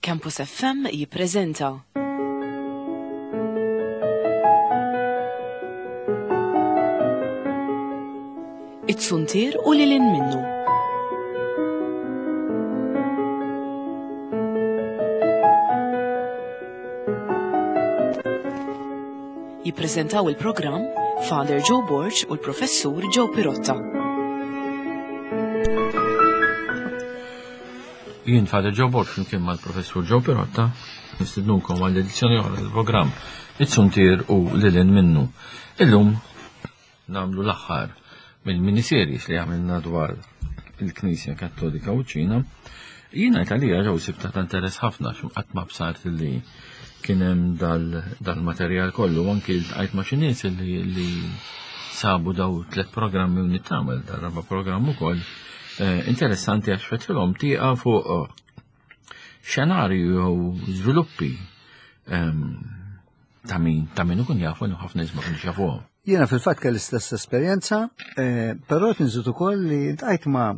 Campus FM jippreżenta. It-Suntier u lil hinn minnu. Jippreżentaw il-programm Father Joe Borg u l-Professur Joe Pirotta. Jien Father Joe Borg flimkien mal-Professur Joe Pirotta nistidnukom għall edizzjoni oħra tal-programm It-Suntier u Lilin minnu. Illum nagħmlu l-aħħar mill-miniseries li għamilna dwar il-Knisja Kattolika u ċina. Jiena Italija ġew sibta ta' interess ħafna x'qatt ma bsart li kien hemm dal-materjal kollu anki ltqajt ma' xi nies li sabu daw tlet programmi u nittamel dal-raba' programm ukoll Eh, interessanti għax fetħilhom tieqa fuq eh, xenarju jew żviluppi ehm, ta' min ta' min ikun jafu li ħafna nies ma kienx jafuhom. Jiena fil-fatt kelli stess esperjenza, eh, però qed inżid ukoll li ntqajt ma'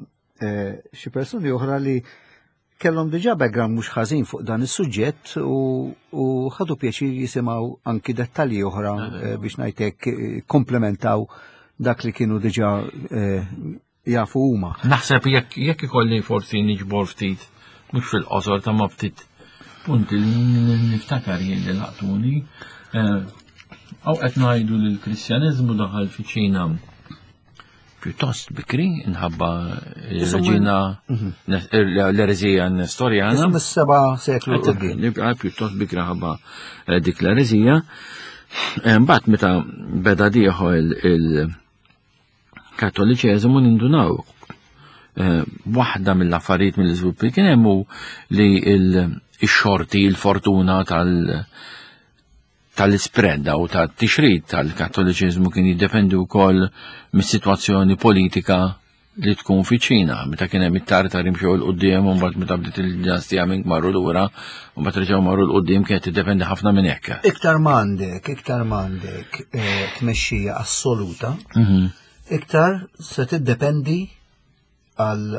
xi persuni oħra li kellhom diġà background mhux ħażin fuq dan is-suġġett u ħadu pjaċir jisimgħu anki dettalji oħra eh, biex ngħidlek eh, komplementaw dak li kienu diġà eh, jafu huma. Naħseb jekk jekk ikolli forsi niġbor ftit mhux fil-qosor ta' ma ftit punti li niftakar jien li laqtuni. Aw qed ngħidu li l-Kristjaniżmu daħal fi Ċina pjuttost bikri nħabba reġina mhm. l-erezija nestorjana. Mis-seba seklu. Nibqa pjuttost bikri ħabba eh, dik l-erezija. Eh, mbagħad meta beda dieħol il-Kattoliċeżmu nindunaw eh, waħda mill-affarijiet mill-iżviluppi kien hemm li il-xorti, il-fortuna tal- tal-ispread u tat-tixrid tal-Kattoliċiżmu kien jiddependi wkoll mis-sitwazzjoni politika li tkun fi ċina, meta kien hemm it-Tartar imxew 'l quddiem u mbagħad meta bdiet il-dinastija Ming marru lura u mbagħad reġgħu marru 'l quddiem kienet tiddependi ħafna minn hekk. Iktar m'għandek, iktar m'għandek eh, tmexxija assoluta, mhm. iktar se tiddependi għal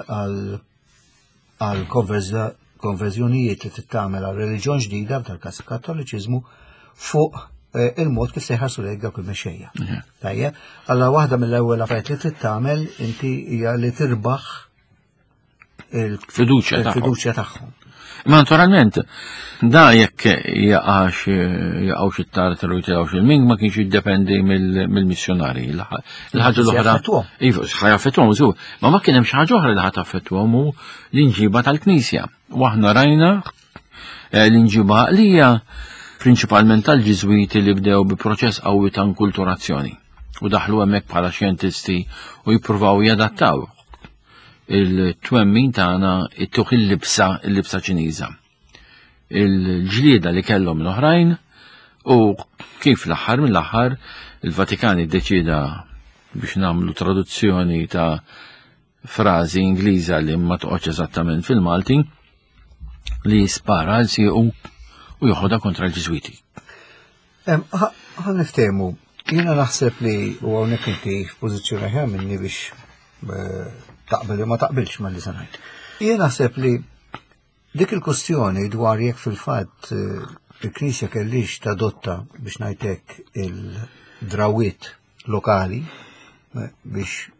konverżjonijiet li tittamel għal reliġjon ġdida, f'dal każ kattoliċiżmu, fuq eh, il-mod kif se jħarsu lejk dawk il-mexxejja. Mhm. Tajjeb, alla waħda mill-ewwel affarijiet li trid tagħmel inti hija li tirbaħ il-fiduċja tagħhom. Ma naturalment, da jekk jaqax jaqgħux it-tartar u jitilgħux il-ming ma kienx jiddependi mill-missjonari. Il-ħaġa l-oħra. Iva, ħajaffettwhom, żgur. Ma ma kien hemm xi ħaġa oħra li ħadd affettwhom hu l-inġiba tal-Knisja. U aħna rajna eh, l-inġiba għaqlija prinċipalment tal-Ġiżwiti li bdew bi proċess qawwi ta' inkulturazzjoni u daħlu hemmhekk bħala xjentisti u jippruvaw jadattaw il-twemmin tagħna ittuh il-libsa il-libsa Ċiniża. Il-ġlieda li kellhom l-oħrajn u kif l-aħħar mill-aħħar il-Vatikan iddeċieda biex nagħmlu traduzzjoni ta' frażi Ingliża li ma toqgħodx eżattament fil-Malti li spara għal siequ u joħodha kontra l-Ġiżwiti. Ħa niftehmu, jiena naħseb li u hawnhekk inti f'pożizzjoni aħjar minni biex eh, taqbel jew ma taqbilx ma li se ngħid. Jien naħseb li dik il-kustjoni dwar jekk fil-fatt eh, il-Knisja kellix tadotta biex ngħidlek il-drawiet lokali eh, biex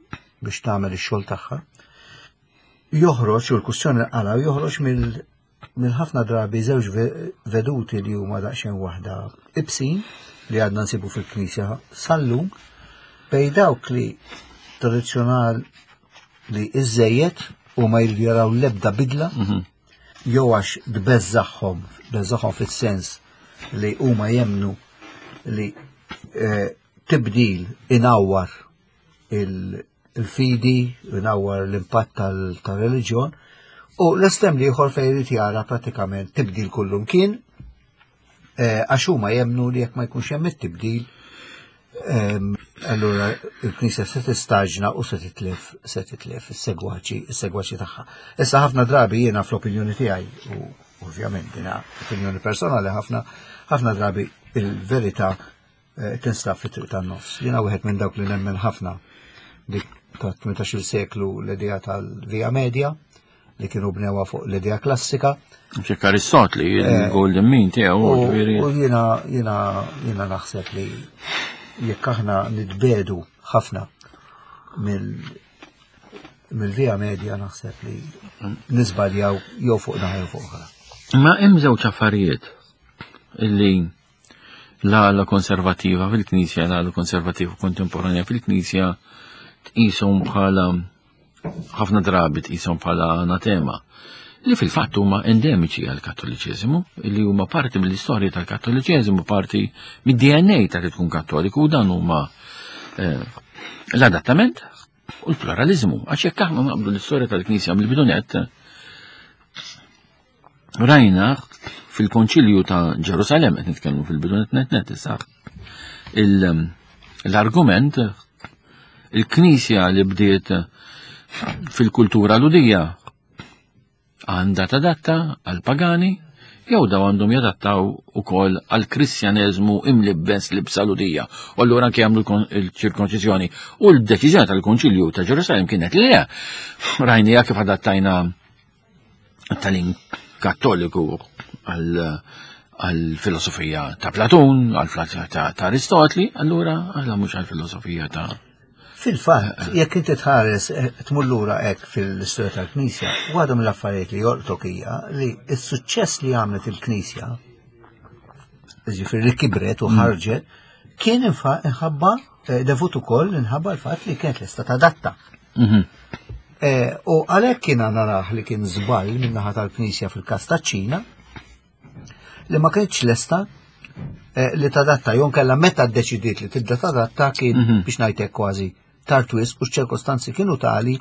biex tagħmel ix-xogħol tagħha. Joħroġ u l-kustjoni qala joħroġ mill minn ħafna drabi żewġ veduti li huma daqsxejn waħda ibsin li għadna nsibu fil-Knisja sal-lum bej dawk li tradizzjonal li iżejjed u ma jridu jaraw l-ebda bidla mhm. jew għax tbeżżagħhom, tbeżżagħhom fis-sens li huma jemnu li eh, tibdil inawwar il-fidi, inawwar l-impatt tal-reliġjon, u l-estrem li ieħor fejn irid jara pratikament tibdil kullum kien, eh, għax huma jemnu li jekk ma jkunx hemm it-tibdil, ehm, allura il-Knisja se tistaġna u se titlef se titlef is-segwaċi is-segwaċi tagħha. Issa ħafna drabi jiena fl-opinjoni tiegħi u ovvjament dina opinjoni personali ħafna ħafna drabi il-verità eh, tinstab fit-triq tan-nofs. Jiena wieħed minn dawk li nemmen ħafna dik ta' 18 seklu l-idea tal-Via Media. li kienu bnewa fuq l-idea klassika. Ċek Aristotli, eh, il-Golden Mean tiegħu, U jiena jiena jiena naħseb li jekk aħna nitbedu ħafna mill mill-via media naħseb li nisbaljaw jew fuq naħa jew fuq oħra. Ma hemm żewġ affarijiet illi l-għala konservativa fil-Knisja, l-għala konservativa kontemporanja fil-Knisja tqishom bħala ħafna drabi tqishom bħala anatema li fil-fatt huma endemiċi għal kattoliċeżimu, li huma parti mill-istorja tal-kattoliċeżimu, parti mid-DNA ta' li tkun kattoliku, u dan huma eh, l-adattament u l-pluralizmu. Għax jekk aħna naqbdu l-istorja tal-Knisja mill-bidunet, rajna fil-Konċilju ta' Ġerusalem, qed nitkellmu fil-bidunet net net issa, l-argument il-Knisja li bdiet fil-kultura ludija għandha tadatta għal pagani jew daw għandhom jadattaw ukoll għal kristjaneżmu imlibbes libsa ludija. U allura anke jagħmlu l-ċirkonċiżjoni. U l-deċiżjoni tal-Konċilju ta' Ġerusalem kienet li le. Rajnija kif adattajna tal-in kattoliku għal-filosofija ta' Platun, għal-filosofija ta' Aristotli, allura għalla mhux għal-filosofija ta' Fil-fatt, jekk inti tħares eh, tmur lura hekk fil-istorja tal-Knisja, waħda mill-affarijiet li jolqtok hija li s-suċċess li għamlet il-Knisja, ġifieri li kibret u mm. ħarġet, kien inħabba eh, devut ukoll inħabba l-fatt li kienet lesta tadatta. Mhm. Eh, u għalhekk kien narah li kien żball min-naħa tal-Knisja fil-każ taċ-Ċina li ma kienx lesta eh, li tadatta jew kellha meta ddeċidiet li tibda tadatta kien mhm. biex ngħidlek kważi tard wisq u ċ-ċirkostanzi kienu tali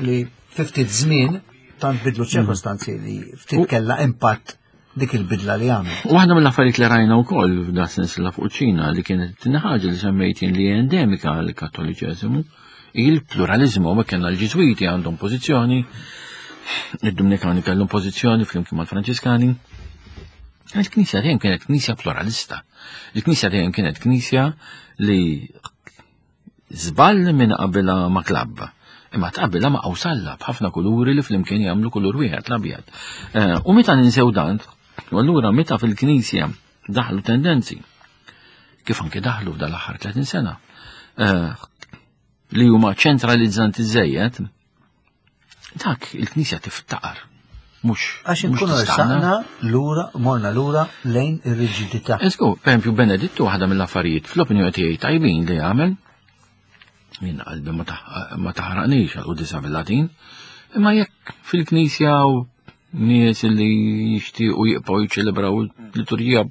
li ftit żmien tant bidlu mhm. ċirkostanzi li ftit kellha impatt dik il-bidla li għamel. Waħda mill-affarijiet li rajna wkoll f'da sensila fuq ċina li kienet tieni ħaġa li semmejtin li endemika għal kattoliċeżimu il-pluralizmu ma kellna l-Ġiżwiti għandhom pożizzjoni, id-Dominikani kellhom pożizzjoni flimkien mal-Franċiskani. Il-Knisja dejjem kienet knisja pluralista. Il-Knisja dejjem kienet knisja li Żball minn qabilha ma' klabb. Imma tqabbilha ma' qawsalla b'ħafna kuluri li flimkien jagħmlu kulur wieħed l-abjad. Eh, u meta ninsew dan, u allura meta fil-Knisja daħlu tendenzi, kif anke daħlu f'dal aħħar 30 sena, eh, li huma ċentralizzanti żejjed, Dak il-Knisja tiftaqar. Mhux. Għax inkunu ressaqna lura, morna lura lejn ir-riġidità. Esku, per esempio Benedittu waħda mill-affarijiet fl-opinjoni tiegħi tajbin li għamel, jien qalbi ma taħraqnix għal qudisa bil-Latin, imma jekk fil-Knisja u nies li jixtiequ jibqgħu jiċċelebraw liturġija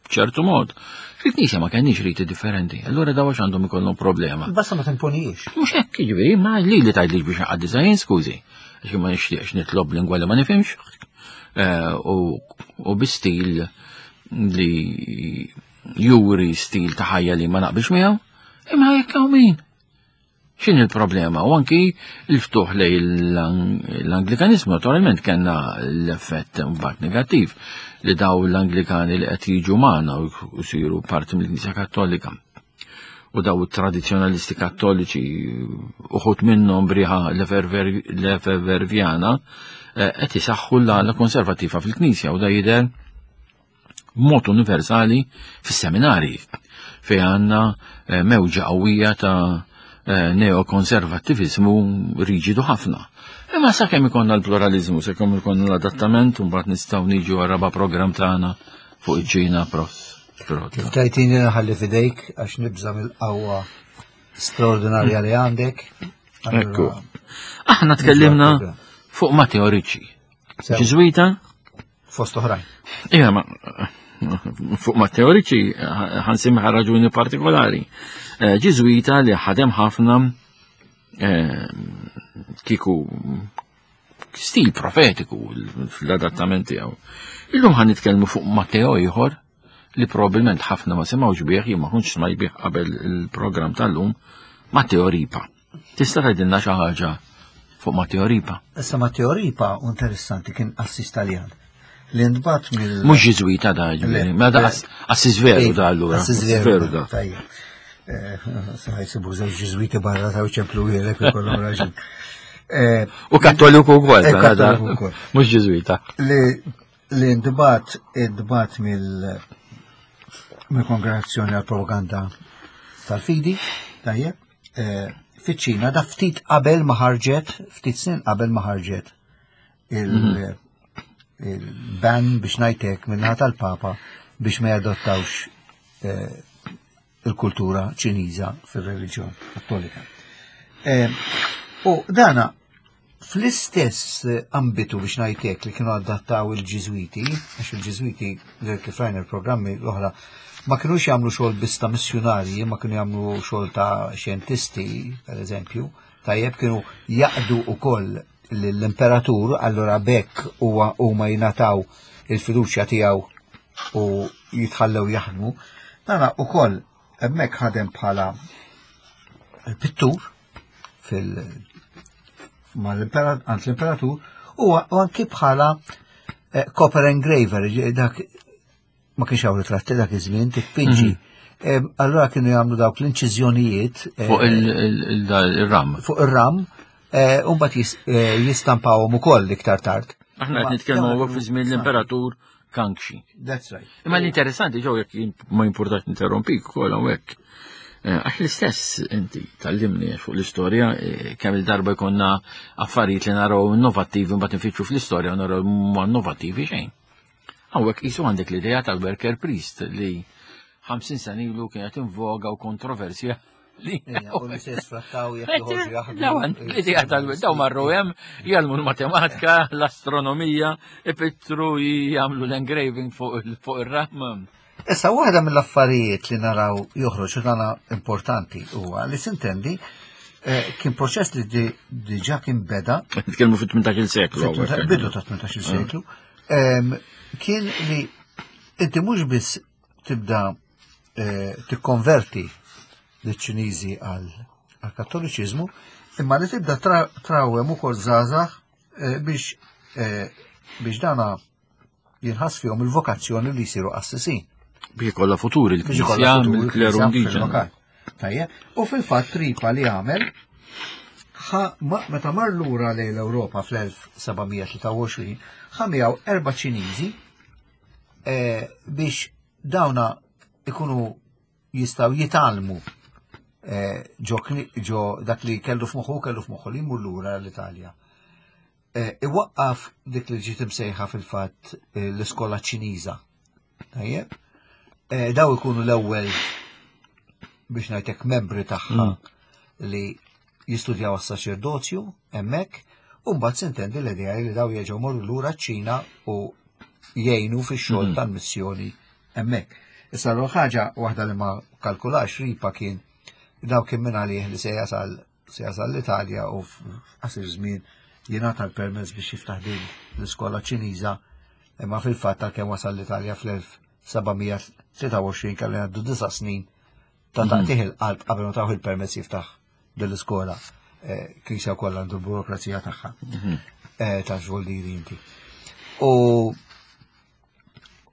b'ċertu mod. Fil-knisja ma kenniex riti differenti, allura daw għax għandhom ikollhom problema. Basta ma timponijiex. Mhux hekk, jiġifieri, ma li li tgħidlix biex nqaddisha jien skużi. Għax ma nixtieqx nitlob lingwa li ma nifhimx eh, u bi stil li juri stil ta' ħajja li ma naqbilx miegħu, imma jekk hawn min. X'inhi l-problema? U anki l-ftuħ lej l-Anglikanizmu, naturalment kellna l-effett mbagħad negattiv li daw l-Anglikani li qed jiġu magħna u jsiru parti mill-Knisja Kattolika. U daw it-tradizzjonalisti kattoliċi uħut minnhom briħa l-Efevervjana eh, qed isaħħu l-għala konservattiva fil-Knisja u da jidher b'mod universali fis-seminarji fejn għandna eh, mewġa qawwija ta' eh, neokonservattivizmu riġidu ħafna. Imma sakemm ikonna l-pluralizmu, sakemm ikonna l-adattament, mbagħad nistgħu niġu għar-raba' programm tagħna fuq iċ-Ċina prof. Kif tajtini naħalli fidejk għax nibża mill-qawwa straordinarja li għandek. Ekku. Aħna tkellimna fuq Matteo Ricci. Ġiżwita, Fost oħrajn. Ija, ma fuq ma teoriċi ħansimħa raġuni partikolari. Eh, Ġiżwita li ħadem ħafna eh, kiku stil profetiku fl-adattament tiegħu. Illum ħan nitkellmu fuq Matteo ieħor li probabbilment ħafna ma semgħux bih, jien ma kontx smaj bih qabel il-programm tal-lum, Matteo Ripa. Tista' tgħidilna xi ħaġa fuq Matteo Ripa? Issa Matteo Ripa interessanti kien qassis Taljan li ntbat mill. Mhux Ġiżwita da, ġifieri, ma da qassis veru da allura. Qassis veru da. Tajjeb. Eh, sa jsibu żewġ Ġiżwiti barra ta' ċemplu wieħed ikollhom raġun. Eh, U kattoliku wkoll. Eh, kattoliku wkoll. Mhux Ġiżwita. Li li ntbagħat intbagħat mill mill-Kongregazzjoni għal Propaganda tal-Fidi, tajjeb, eh, fiċ-Ċina da ftit qabel ma ħarġet, ftit snin qabel ma ħarġet mhm. il-ban biex ngħidlek minnaħa tal-Papa biex ma jadottawx eh, il-kultura ċiniża fir-reliġjon kattolika. Eh, u dana fl-istess ambitu biex ngħidlek li kienu adattaw il-Ġiżwiti, għax il-Ġiżwiti li kif rajna l-programmi l-oħra ma kinux jagħmlu xogħol biss ta' missjunarji, ma kienu jagħmlu xogħol ta' xjentisti, per eżempju, tajjeb kienu jaqdu ukoll l-imperatur, allura bekk huwa huma jingħataw il-fiduċja tiegħu u jitħallew jaħdmu. Dana ukoll hemmhekk ħadem bħala pittur fil għand l-imperatur u anki bħala eh, copper engraver, dak ma kienx hawn ritratti dak iż-żmien titpinġi. Mhm. Allura kienu jagħmlu dawk l-inċiżjonijiet eh, fuq il-ram. Fuq ir-ram, eh, u mbagħad eh, jistampawhom ukoll iktar tard. Aħna qed nitkellmu hawnhekk fi żmien l-imperatur Kangxi. That's right. Imma l-interessanti ġew jekk ma jimpurtax interrompik ukoll hawnhekk. Għax l-istess inti tallimni fuq l-istorja, kemm il-darba jkollna affarijiet li naraw innovattivi mbagħad nfittxu fl-istorja u naraw ma innovattivi xejn. Hawnhekk qisu għandek l-idea tal-worker priest li 50 sena ilu kienet invoga u kontroversja li. U li se jisfrattaw jekk joħorġu jaħdmu. L-idea tal-daw marru hemm jgħallmu l-matematika, l-astronomija, ipittru jagħmlu l-engraving fuq ir-ram. Issa waħda mill-affarijiet li naraw joħroġ u dana importanti huwa li sintendi eh, kien proċess li diġà kien beda. Nitkellmu fit-18 seklu. Bidu ta' 18 seklu. Kien li inti mhux biss tibda eh, tikkonverti liċ-Ċiniżi għal kattoliċiżmu, imma li tibda trawem ukoll żgħażagħ eh, biex biex dana jinħass fihom il-vokazzjoni li jsiru qassisin. Biex ikollha futur il-Knisja mill-kleru indiġenu. Tajjeb, u fil-fatt tripa li għamel meta mar lura lejn l-Ewropa fl-1723 ħa miegħu erba' Ċiniżi eh, biex dawna ikunu jistaw jitalmu eh, ġo dak li kellu f'moħħu kellu f'moħħu li jmur lura l-Italja. Eh, iwaqqaf dik li ġiet imsejħa fil-fatt eh, l-iskola Ċiniża. Tajjeb? Eh, daw ikunu l-ewwel biex ngħidlek membri tagħha mm. li jistudjaw għas-saċerdozju hemmhekk, u mbagħad sintendi l-idea li daw jerġgħu morru lura ċ-Ċina u jgħinu fix-xogħol mm. tal-missjoni hemmhekk. Issa l ħaġa waħda li ma kalkulax ripa kien daw kien minn għalih li se jasal Se jasal l-Italja u f'qasir żmien jingħata l-permess biex jiftaħ din l-iskola Ċiniża imma fil-fatt għalkemm wasal l-Italja fl-1723 kellu jgħaddu disa' snin ta' mhm. taqtih il-qalb qabel ma tawh il-permess jiftaħ din l-iskola. Eh, Knisja wkoll għandu l-burokrazija tagħha mhm. eh, ta' xogħol li inti. U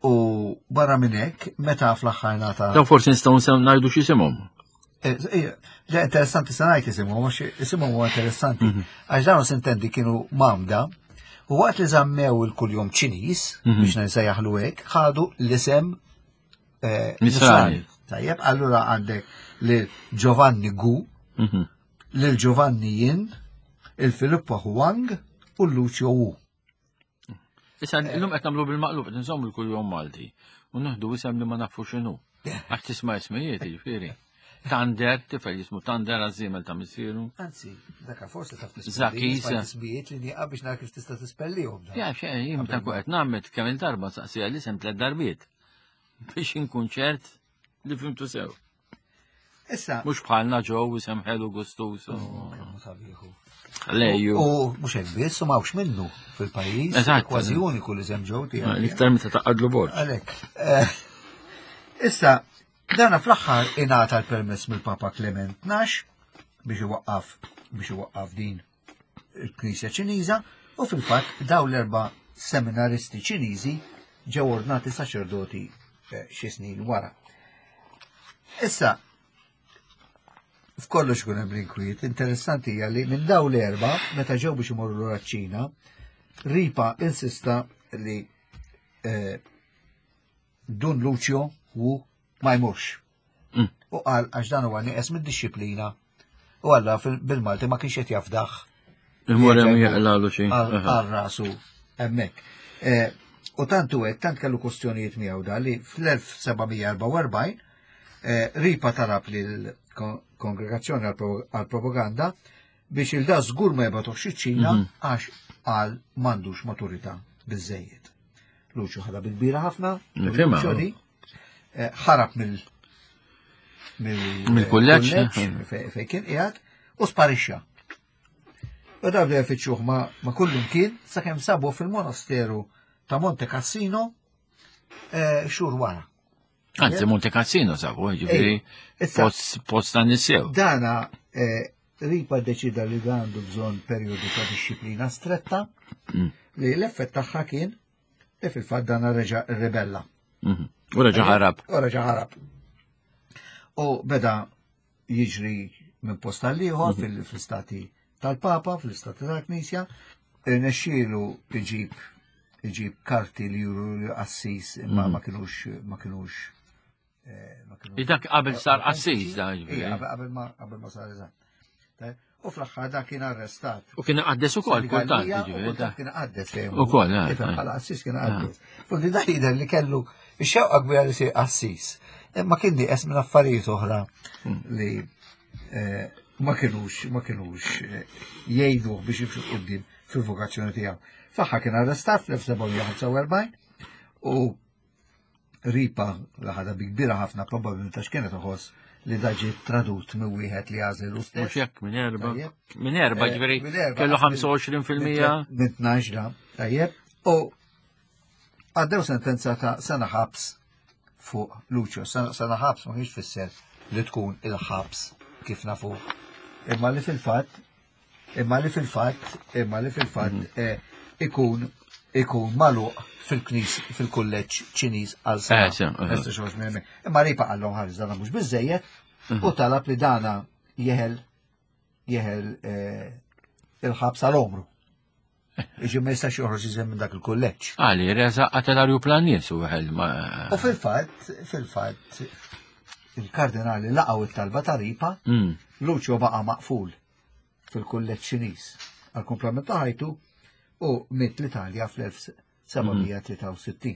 U barra minn hekk, meta fl-aħħar nata. Daw forsi nistgħu ngħidu x'isimhom. Eh, eh, le, interessanti se ngħid isimhom, għax isimhom huwa interessanti. Mhm. Għax dawn sintendi kienu mamda, u waqt li żammew il-kuljum Ċiniż, mhm. biex nsejjaħlu hekk, ħadu l-isem eh, Nisrani. Tajjeb, allura għandek lil Giovanni Gu, mhm. lil Giovanni Yin, il-Filippo Huang u l-Lucio Wu. Issa illum qed nagħmlu bil-maqlub qed nżommu l-kuljum Malti u nieħdu isem li ma nafu x'inhu. Għax tisma' ismijiet jiġifieri. Tander, tifel jismu Tander għażiemel ta' missieru. Anzi, daka forsi taf Zakis. Ismijiet li nieqa biex nara kif tista' tispellihom. Ja, xejn, jien ta' qed nagħmel kemm il-darba saqsija l-isem tliet darbiet biex inkun ċert li fimtu sew. Issa. Mux bħalna ġew isem ħelu gustus. Lejju. U mux hekk biss, u mawx minnu fil-pajjiż. Eżatt. Kważi uniku li sem ġew tiegħek. L-iktar meta taqadlu borġ. Għalhekk. Eh, issa, dana fl-aħħar ingħata l-permess mill-Papa Clement 12 biex iwaqqaf biex iwaqqaf din il-Knisja Ċiniża u fil-fatt daw l-erba' seminaristi Ċiniżi ġew ordnati saċerdoti eh, xi snin wara. Issa, F'kollox ikun hemm l-inkwiet. Interessanti hija li minn daw l-erba, meta ġew biex imorru lura ċ-Ċina, Ripa insista li eh, Dun Lucio hu ma jmurx. U qal għax dan huwa nieqes mid-dixxiplina u alla bil-Malti ma kienx qed jafdaħ. Imur hemm jaqlalu xi. Għal rasu hemmhekk. Eh, u tant u hekk tant kellu kwestjonijiet miegħu da li fl-1744 eh, Ripa talab lil kongregazzjoni għal-propaganda biex il-da żgur ma jibgħatuhx iċ-Ċina mhm. għax għal m'għandux maturità biżejjed. Luċu ħadha bil-kbira ħafna, eh, ħarab mill mill-kulleġġ fejn kien qiegħed u sparixxa. U da bdew ifittxuh ma kullum kien sakemm sabu fil-monasteru ta' Monte Cassino eh, xhur wara. Anzi, Monte Cassino sabu, ġifieri post ta' nisew. Dana eh, Ripa deċida li dan għandu bżonn perjodu ta' disċiplina stretta mm. li l-effett tagħha kien li fil-fatt dan reġa' ribella. Mhm. U reġa' ħarab. U reġa' ħarab. U beda jiġri minn post għal ieħor mhm. fil-istati tal-Papa, fl-istati tal-Knisja, nexxielu iġib iġib karti li juru li qassis imma mhm. ma kienux ma kienux eh, Dak qabel sar qassis da Qabel ma qabel ma sar eżatt. U fl-aħħar dak kien arrestat. U kien qaddes ukoll kultant. Kultant kien qaddes. Ukoll, eh, eh. Bħala qassis kien qaddes. Fuq da jidher li kellu x-xewqa kbira li jsir qassis. Imma kien nieqes minn affarijiet oħra hmm. li eh, ma kienux ma kienux jgħiduh biex jimxu qudiem fil-vokazzjoni tiegħu. Fl-aħħar kien arrestat fl-1745 u Ripa li ħadha bi kbira ħafna probabbilment għax kienet iħoss li da ġie tradut minn wieħed li għażel u stess. Mhux hekk minn erba. Minn erba eh, ġifieri kellu 25%. Minn 12 da, tajjeb. U għaddew sentenza ta' sena ħabs fuq Lucio. Sena ħabs ma kienx fisser li tkun il-ħabs kif nafu. Imma li fil-fatt Imma li fil-fatt, imma li fil-fatt mhm. eh, ikun ikun maluq fil-knis fil-kulleġġ Ċiniż għal sena. Eh, eh. Imma ripa għallhom ħares dana mhux biżejjed mhm. u talab li dana jeħel jeħel il-ħabs għal omru. Iġi ma jistax joħroġ iżem minn dak il-kulleġġ. Għali, reza qatel arjuplan nies u għel ma. U fil-fatt, fil-fatt, il-kardinali laqgħu it-talba ta' Ripa, mm. Lucio baqa' maqful fil-kulleġġ Ċiniż għal-kumplament ta' ħajtu u miet l-Italja fl-1763.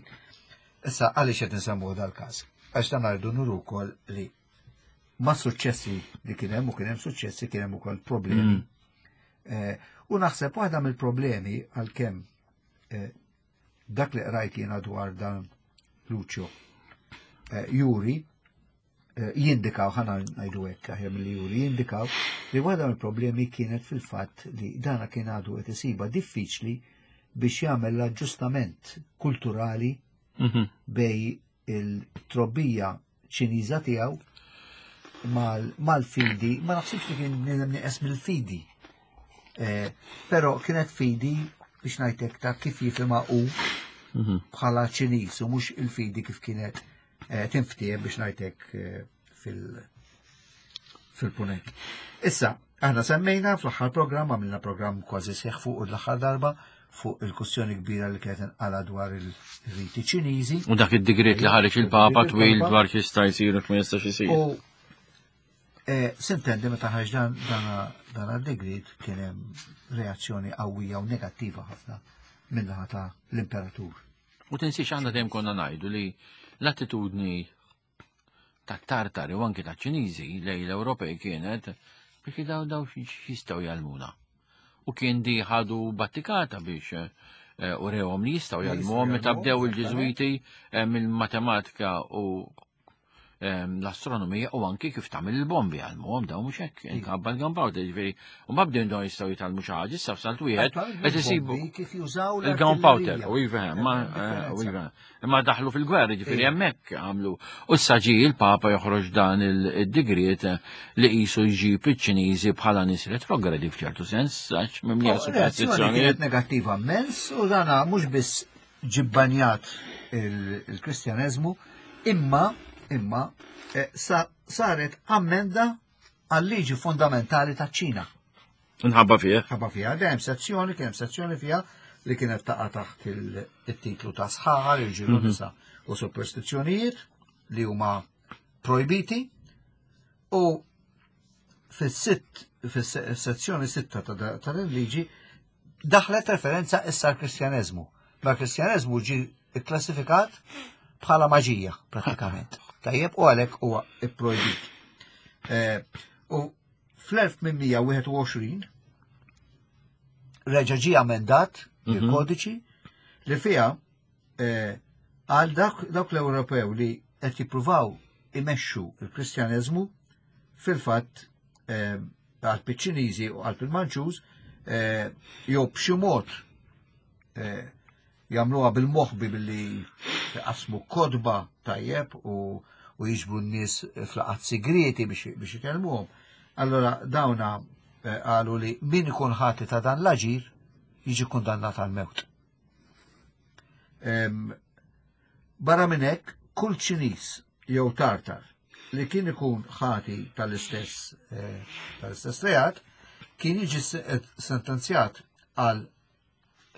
Issa għaliex qed insemmu dal-każ? Għax dan rridu nuru wkoll li ma' suċċessi li kien hemm u kien hemm suċċessi kien hemm ukoll problemi. Mm. Eh, u naħseb waħda mill-problemi għalkemm eh, dak li qrajt jiena dwar dan Lucio eh, juri jindikaw, ħana ngħidu hekk aħjar milli juri, jindikaw li waħda mill-problemi kienet fil-fatt li dana kien għadu qed isiba diffiċli biex jagħmel l-aġġustament kulturali mhm. bej il-trobbija Ċiniża tiegħu mal-fidi, ma naħsibx li kien bniedem nieqes mill-fidi. Eh, però kienet fidi biex ngħidlek ta' kif jifhimha hu mhm. bħala Ċiniż u mhux il-fidi kif kienet eh, tinftiehem biex ngħidlek eh, fil- fil-punent. Issa, aħna semmejna fl-aħħar programm, għamilna programm kważi seħ fuq l-aħħar darba fuq il-kussjoni kbira li kienet inqala dwar il-riti Ċiniżi. U dak id-digriet li ħareġ il-Papa twil dwar x'jista' jsir u x'ma jistax isir. U eh, sintendi meta ħareġ dan dan id-digriet kien hemm reazzjoni qawwija u negattiva ħafna minnaħa ta' l-imperatur. U tinsiex aħna dejjem konna ngħidu li l-attitudni tat-Tartari u anki taċ-Ċiniżi lejn l-Ewropej kienet biex daw daw jistgħu jgħallmuna. U kien di ħadu battikata biex eh, u rewhom li jistgħu jgħallmuhom meta bdew il-Ġiżwiti eh, mill-matematika u Ehm, l-astronomija u anki kif tagħmel il-bombi għalmuhom dawn mhux hekk inkabba l-gunpowder ġifieri u ma bdew dawn jistgħu jitgħallmu xi ħaġa issa f'salt wieħed qed isibu kif jużaw il-gunpowder u iva ma eh, u iva imma daħlu fil-gwerra ġifieri hemmhekk għamlu u issa ġie il-Papa joħroġ dan il-digriet li qisu jġib iċ-Ċiniżi bħala nies retrogradi f'ċertu sens għax mimlija oh, superstizzjonijiet. Negattiva immens u dana mhux biss ġibbanjat il-Kristjaneżmu, imma imma eh, saret ammenda għal-liġi fundamentali taċ-Ċina. Nħabba fih. Ħabba fiha, hemm sezzjoni, kien hemm sezzjoni fiha li kienet taqa' taħt il-titlu ta' sħar, irġiel u mhm. nisa u superstizzjonijiet li huma projbiti u fis-sitt fis-sezzjoni sitta ta' din liġi daħlet referenza issa l-Kristjaneżmu. Ma l-Kristjaneżmu ġi kklassifikat bħala maġija pratikament. Tajjeb u għalhekk huwa ipprojbit. Eh, u fl-1821 reġa' ġie amendat mhm. il-kodiċi li fiha eh, għal dawk l-Ewropew li qed jippruvaw imexxu il-Kristjaneżmu fil-fatt eh, għal ċiniżi u għal il-Manċuż eh, jew b'xi mod jagħmluha bil-moħbi billi jqassmu kodba tajjeb u u jiġbru n-nies f'laqgħat sigrieti biex ikellmuhom. Allora dawna eh, qalu li min ikun ħati ta' dan l-aġir jiġi kundannat għal mewt. Barra minn hekk, kull Ċiniż jew Tartar li kien ikun ħati tal-istess eh, tal-istess reat kien jiġi eh, sentenzjat għal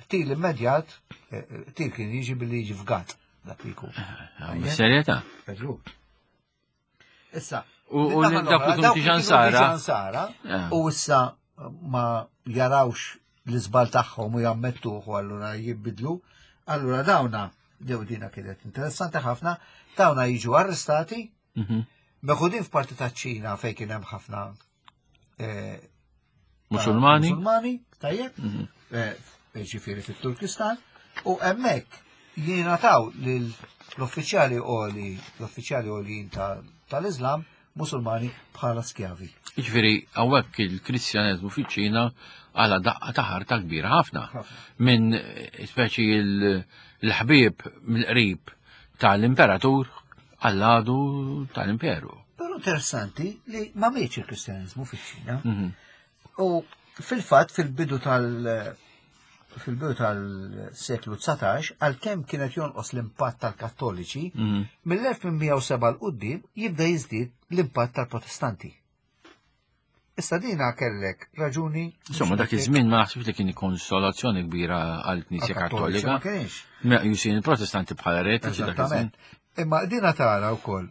Til immedjat, eh, eh, til kien jiġi billi jiġi fgat dak li jkun. Eh, serjetà? Issa, u dak li kienu diġan sara, u issa ma jarawx l-iżbal tagħhom u jammettuh u allura jibbidlu, allura dawna, jew dina kienet interessanti ħafna, dawna jiġu arrestati, mhm. meħudin f'parti taċ-Ċina fejn kien hemm ħafna Musulmani. Musulmani, tajjeb, mhm. eh, ġifieri fit-Turkistan, u hemmhekk jingħataw l-uffiċjali għoli, l-uffiċjali għoljin tal-Islam Musulmani bħala skjavi. Ġifieri hawnhekk il-Kristjaneżmu fiċ-Ċina għala daqqa ta' ħarta kbira ħafna. Minn eh, speċi l-ħbieb mill-qrib tal-imperatur għall-għadu tal-imperu. Però interessanti li ma mietx il-Kristjaniżmu fiċ-Ċina. Mhm. U fil-fatt fil-bidu tal- fil-bidu tal-seklu 19, għalkemm kienet jonqos l-impatt tal-Kattoliċi, mhm. mill-1807 l qudiem jibda jiżdied l-impatt tal-Protestanti. Issa dina kellek raġuni. Insomma, dak iż-żmien ma naħsibx li kien konsolazzjoni kbira għall-Knisja Kattolika. Ma kienx. Meqjusin il-Protestanti bħala eretiċi dak iż-żmien. Imma dina tara wkoll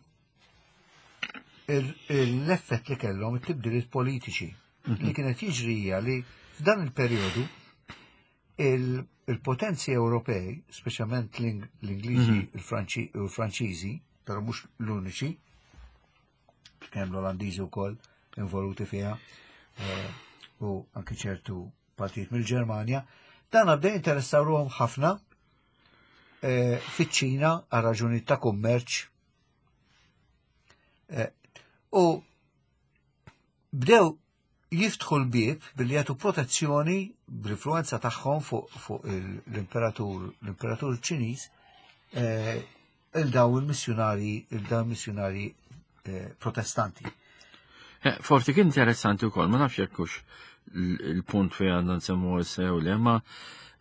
l-effett li kellhom it-tibdiliet politiċi mhm. li kienet jiġri hija li f'dan il-perjodu il-potenzi Ewropej, speċjalment l-Ingliżi mhm. u l-Franċiżi, però mhux l-uniċi, kemm l-Olandiżi wkoll involuti fiha eh, u anki ċertu partijiet mill-Ġermanja, dan għabda jinteressaw ruhom ħafna eh, fiċ-Ċina għal raġuni ta' kummerċ. Eh, u bdew jiftħu l-bieb billi jagħtu protezzjoni bl-influenza tagħhom fuq fu l-imperatur l-imperatur Ċiniż eh, il daw il-missjunari il daw il-missjunari eh, protestanti. Eh, forsi kien interessanti wkoll, ma nafx jekk hux il-punt fejn għandna nsemmu issa jew le, ma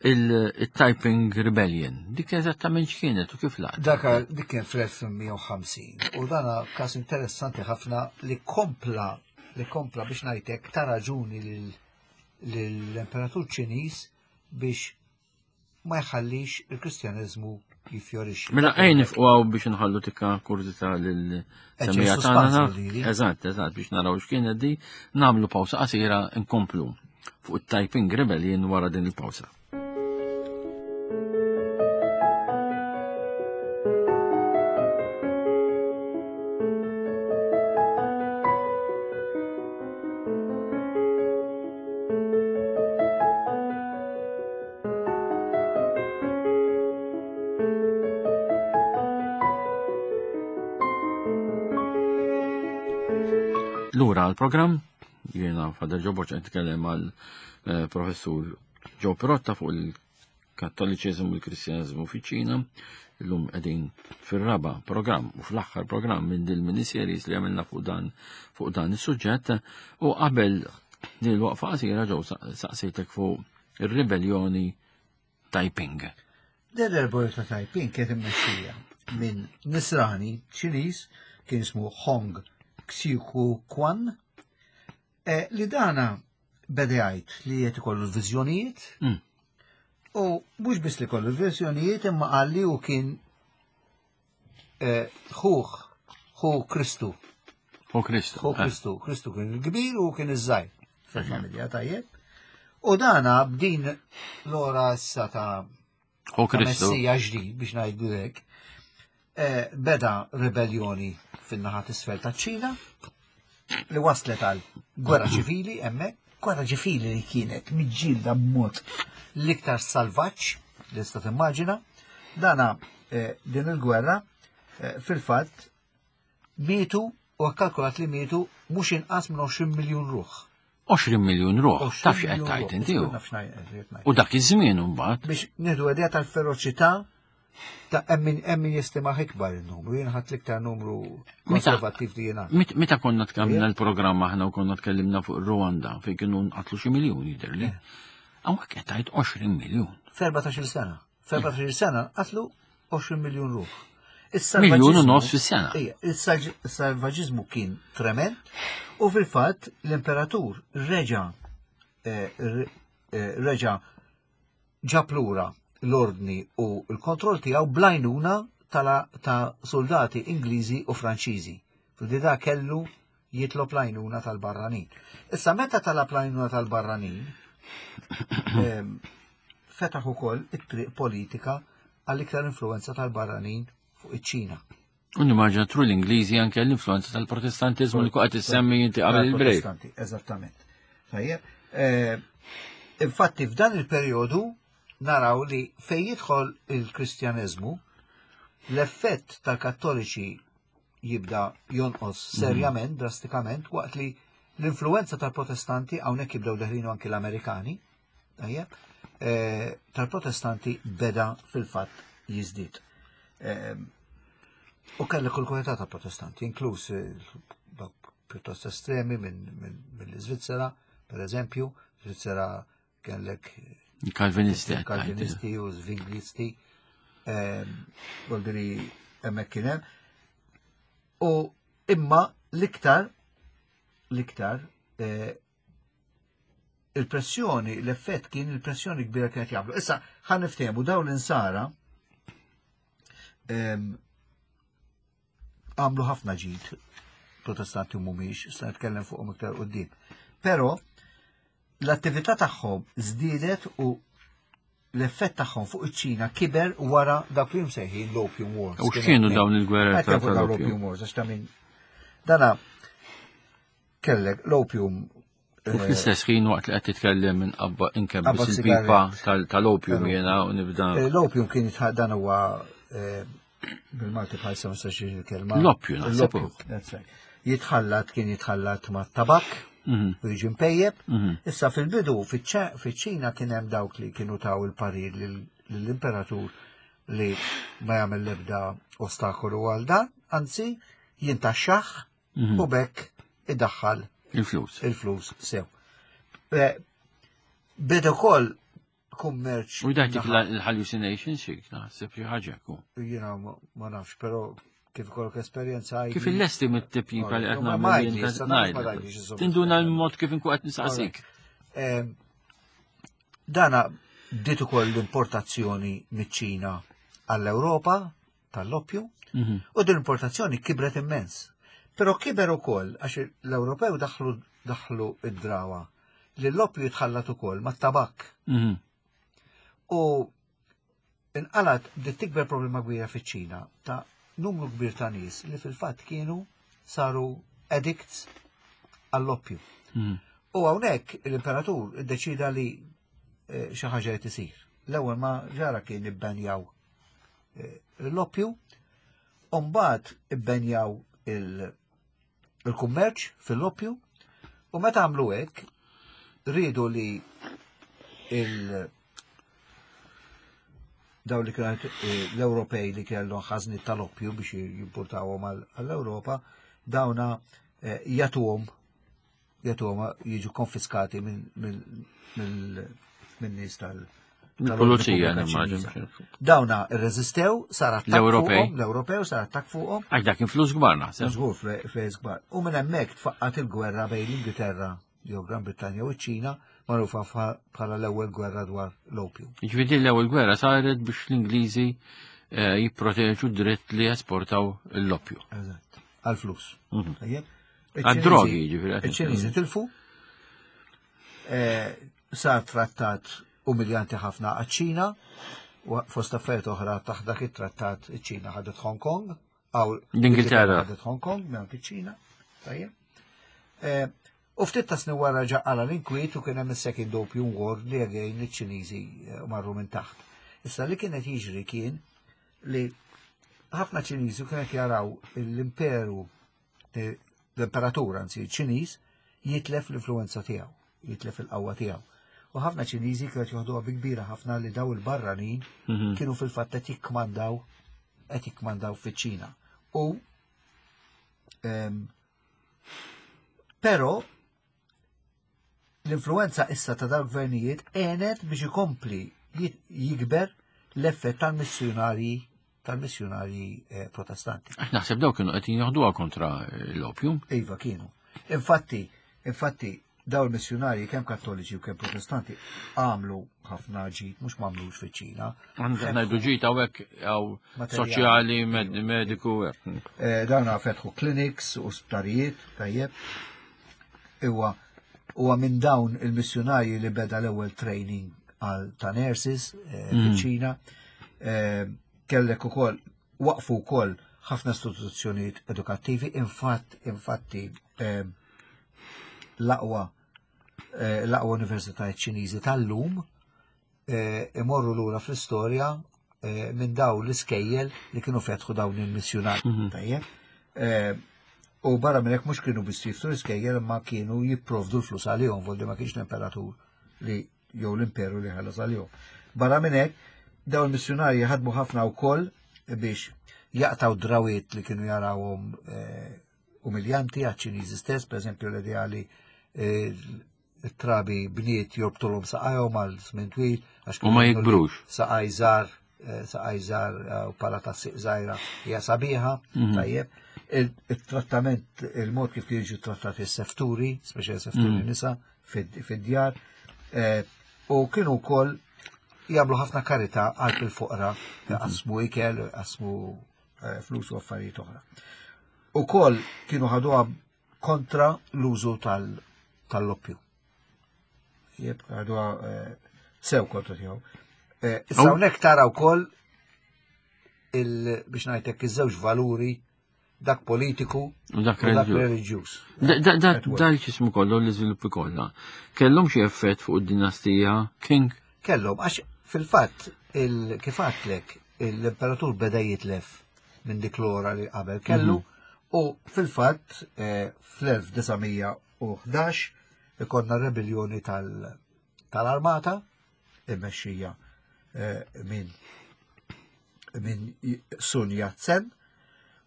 il-Typing Rebellion, dik eżattament x'kienet u kif laqt? Dak dik kien fl-1850 u dana każ interessanti ħafna li kompla li kompla biex ngħidlek ta' raġuni lill-Imperatur Ċiniż biex ma jħallix il-Kristjaneżmu jifjorixxi. Mela ejn nifqgħu biex nħallu tikka kurżità lil semija tagħna. Eżatt, eżatt biex naraw x'kienet di, nagħmlu pawsa qasira nkomplu fuq it-Typing Rebellion wara din il-pawsa. Lura għal-programm, jiena Father Joe Borċa nitkellem għal eh, professur Joe Pirotta fuq il-Kattoliċiżmu u l-Kristjaneżmu fiċ-Ċina. Illum qegħdin fir-raba programm u fl-aħħar programm minn din mini-series li għamilna fuq dan fuq dan is-suġġett u qabel din il-waqfa qasira ġew saqsejtek fuq ir-ribelljoni Taiping. Din ir-ribelljoni ta' Taiping kienet immexxija minn Nisrani Ċiniż kien ismu Hong Xiuquan. Eh, li dana beda jgħid li qed ikollu l-viżjonijiet. U mhux biss li kollu l-viżjonijiet imma qal li hu kien eh, ħuh ħu Kristu. Ħu Kristu. Ħu eh. Kristu. Kristu kien il-kbir u kien iż-żgħir fil-familja tajjeb. U dana b'din l-ora issa ta' Ħu Kristu. Messija ġdid biex ngħidu hekk. Eh, beda ribelljoni fin-naħa t'isfel taċ-Ċina li waslet għal gwerra ċivili hemmhekk, gwerra ċivili li kienet miġġielda b'mod l-iktar salvaġġ li tista' timmaġina. Dana eh, din il-gwerra eh, fil-fatt mietu u kkalkulat li mietu mhux inqas minn 20 miljun ruħ. 20 miljun ruħ, taf x'qed tgħid inti. U dak iż-żmien imbagħad. Biex nieħdu idea tal-feroċità ta' emmin emmin jistima ikbar il-numru, jien ħadd l-iktar numru konservattiv li jiena. Meta konna tkamilna l-programm aħna u konna tkellimna fuq Rwanda fejn kienu nqatlu xi miljun jidhirli. Hawnhekk qed tgħid 20 miljun. F'14-il sena. F'14-il sena qatlu 20 miljun ruħ. Miljun u nofs fis-sena. Il-salvaġiżmu kien trement u fil-fatt l-imperatur reġa eh, eh, reġa ġab lura l-ordni u l-kontroll tiegħu blajnuna ta' soldati Ingliżi u Franċiżi. Fil-dida kellu jitlob l-għajnuna tal-barranin. Issa meta talab l-għajnuna tal-barranin, ehm, fetaħ ukoll it-triq politika għal iktar influenza tal-barranin fuq iċ-Ċina. U nimmaġina tru l-Ingliżi anke l-influenza tal-Protestantiżmu li qed issemmi inti qabel il-break. Eżattament. Tajjeb. Eh, infatti f'dan il-perjodu naraw li fejn jidħol il-Kristjaneżmu, l-effett tal-Kattoliċi jibda jonqos mhm. serjament, drastikament, waqt li l-influenza tal-Protestanti hawnhekk jibdew deħlinu anki l-Amerikani, tajjeb, eh, tal-Protestanti beda fil-fatt jiżdied. Eh, u kellek kull kwalità ta' Protestanti, inkluż eh, pjuttost estremi mill-Iżvizzera, per eżempju, Svizzera kellek Kalvinisti, Kalvinisti u Zvinglisti, voldiri hemmhekk kien hemm. U imma l-iktar l-iktar eh, il-pressjoni, l-effett kien il-pressjoni kbira kienet jagħmlu. Issa ħan niftehmu dawn l-insara għamlu ħafna ġid protestanti mhumiex, se nitkellem fuqhom iktar qudiem. Però l-attività tagħhom żdiedet u l-effett tagħhom fuq iċ-Ċina kiber wara dak li msejħin l-Opium Wars. U x'kienu dawn il-gwerer tal-Opium Wars? Għax ta' min dana kellek l-opium U fl-istess ħin waqt li qed titkellem minn qabba inkebbis il-pipa tal-opium jiena u nibda. Eh, l-opium kien dan huwa eh, bil-Malti bħalissa ma nistax il-kelma. L-oppju naħseb. Jitħallat kien jitħallat ma' tabak mhm. u jiġi mpejjeb. Mhm. Issa fil-bidu fiċ-Ċina kien hemm dawk li kienu taw il-parir lill-imperatur li ma jagħmel l-ebda ostakolu għal dan, anzi jintaxxaħ mhm. u bekk idaħħal il-flus. Il-flus sew. Eh, beda wkoll kummerċ. U dak l-hallucination xi naħseb xi ħaġa ku. Jiena ma nafx, però kif ikollok esperjenza Kif il-lesti mit-tipjipa li qed nagħmel. Tinduna l-mod kif inkun qed nistaqsik. Dana bdiet ukoll l-importazzjoni miċ-Ċina għall-Ewropa tal-loppju mhm. u din l-importazzjoni kibret immens. Però kiber ukoll għax l-Ewropew daħlu daħlu id-drawa li l-loppju jitħallat ukoll mat-tabak. Mhm. U inqalat bdiet tikber problema kbira fiċ-Ċina ta' numru kbir ta' nies li fil-fatt kienu saru addicts għall-oppju. Mhm. U hawnhekk l-imperatur iddeċida li eh, xi ħaġa qed isir. L-ewwel ma ġara kien ibbenjaw eh, l-oppju, u mbagħad ibbenjaw il-kummerċ fil-oppju, u meta għamlu hekk riedu li il- daw li kienet eh, l-Ewropej li kellhom ħażni tal-oppju biex jimportawhom għall-Ewropa, dawna eh, jagħtuhom jagħtuhom jiġu konfiskati minn nies tal- Pulizija, nimmaġin. Dawna rreżistew, sar attakk L-Ewropej. L-Ewropew sar attakk fuqhom. Għax dak kien flus kbar naħseb. Żgur flus kbar. U minn hemmhekk tfaqqat il-gwerra bejn l-Ingilterra. jew Gran Brittanja u ċ-Ċina, magħrufa bħala l-ewwel gwerra dwar l-opju. Jiġifieri l-ewwel gwerra saret biex l-Ingliżi eh, jipproteġu dritt li jesportaw l-opju. Eżatt, għal-flus. Mhm. Għad-drogi, jiġifieri. Iċ-Ċiniżi tilfu, eh, sar trattat umiljanti ħafna għaċ-Ċina, fost affarijiet oħra taħt dak it-trattat iċ-Ċina ħadet Hong Kong, għaw l-Ingilterra ħadet Hong Kong, minn iċ-Ċina, tajjeb. Eh, u ftit ta' snin wara ġaqala l-inkwiet u kien hemm is-Second Opium War li again iċ-Ċiniżi eh, marru minn taħt. Issa li kienet jiġri kien li ħafna Ċiniżi kienet jaraw l-imperu eh, l-imperatur anzi Ċiniż jitlef l-influenza tiegħu, jitlef il-qawwa tiegħu. U ħafna Ċiniżi kienet joħduha bi kbira ħafna li daw il-barranin mhm. kienu fil-fatt qed jikkmandaw qed jikkmandaw fiċ-Ċina. U ehm, però l-influenza issa ta' dawn gvernijiet għenet biex ikompli jikber l-effett tal-missjunarji tal-missjunarji eh, protestanti. Naħseb daw kienu qed joħduha kontra l-opjum. Iva kienu. Infatti, infatti daw il-missjunarji kemm kattoliċi u kemm protestanti għamlu ħafna ġid, mhux m'għamlux fiċ-Ċina. Għandna ngħidu ġid hawnhekk hawn soċjali, mediku. Eh, Dawna fetħu clinics u sptarijiet, tajjeb. Iwa, huwa minn dawn il-missjunarji li beda l-ewwel training għal ta' nurses eh, mm. fiċ-Ċina. Eh, kellek ukoll waqfu wkoll ħafna istituzzjonijiet edukattivi, infatt infatti eh, l-aqwa l-aqwa universitajiet Ċiniżi tal-lum imorru lura fl-istorja minn daw l-iskejjel li kienu fetħu dawn il-missjunari. Mhm. Tajjeb. U barra minn hekk mhux kienu biss jiftu l-iskejjel ma kienu jipprovdu l-flus għalihom, voldi ma kienx l-imperatur li jew l-imperu li ħallas għalihom. Barra minn hekk, dawn il-missjunarji ħadmu ħafna wkoll biex jaqtaw drawiet li kienu jarawhom eh, umiljanti għaċ-Ċiniżi stess, per eżempju l-ideali eh, it-trabi bniet jorbtulhom saqajhom għal żmien twil għax U ma jikbrux. Saqaj żgħar, eh, saqaj żgħar eh, u pala ta' siq żgħira hija sabiħa, mhm. tajjeb. Il-trattament, il-mod kif jiġu trattati s-sefturi, speċjal sefturi mhm. nisa fid-djar, eh, u kienu wkoll jagħmlu ħafna karità għal il-foqra, mhm. qasmu ikel, qasmu flus u affarijiet oħra. Ukoll kienu ħaduha kontra l-użu tal-loppju. Jeb, għadu eh, sew kontra tiegħu. Eh, issa hawnhekk tara wkoll biex ngħidlek iż-żewġ valuri dak politiku u dak reliġjuż. Dak x'ismu kollu l-iżviluppi kollha. Kellhom xi effett fuq id-dinastija King? Kellhom għax fil-fatt kif għadtlek l-imperatur beda jitlef minn dik l-ora li qabel kellu mhm. u fil-fatt eh, fl-1911 ikonna rebellioni tal-armata immexxija eh, minn min Sun Yat-sen.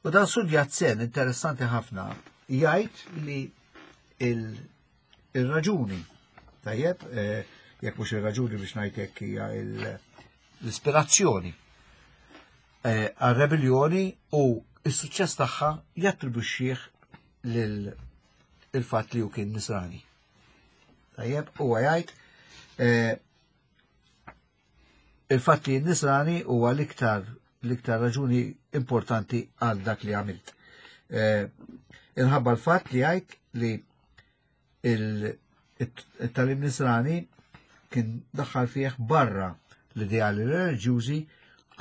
U dan Sun Yat-sen interessanti ħafna jgħid li il-raġuni tajjeb eh, jekk mhux ir-raġuni biex ngħid hekk hija l-ispirazzjoni Eh, għar-rebelljoni u s-suċċess tagħha jattribwixxih lil il-fatt li hu kien nisrani. Tajjeb, huwa jgħid eh, il-fatt li nisrani huwa l-iktar l-iktar raġuni importanti għal dak li għamilt. Eh, inħabba l-fatt li jgħid li il-talim nisrani kien daħħal fih barra l-ideali reliġjużi